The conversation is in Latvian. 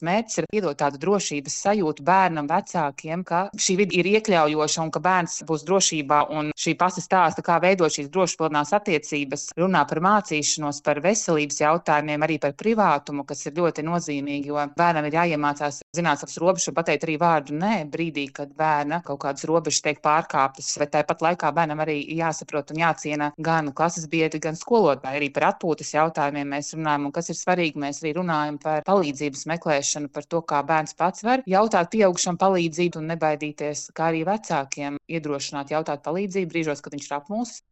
mērķis ir iedot tādu drošības sajūtu bērnam, vecākiem, ka šī vide ir iekļaujoša un ka bērns būs drošībā. Un šī pasta stāsta, kā veidot šīs drošpilnās attiecības, runā par mācīšanos, par veselības jautājumiem, arī par privātumu, kas ir ļoti nozīmīgi, jo bērnam ir jāiemācās zināt savas robežas un pateikt arī vārdu nē brīdī, kad bērna kaut kādas robežas tiek pārkāptas, bet tāpat laikā bērnam arī jāsaprot un jāciena gan klases biedri, gan skolotāji. Arī par atpūtas jautājumiem mēs runājam, un kas ir svarīgi, mēs arī runājam par palīdzības meklēšanu, par to, kā bērns pats var jautāt pieaugušam palīdzību un nebaidīties, kā arī vecākiem iedrošināt jautāt palīdzību brīžos, kad viņš ir apmulsis.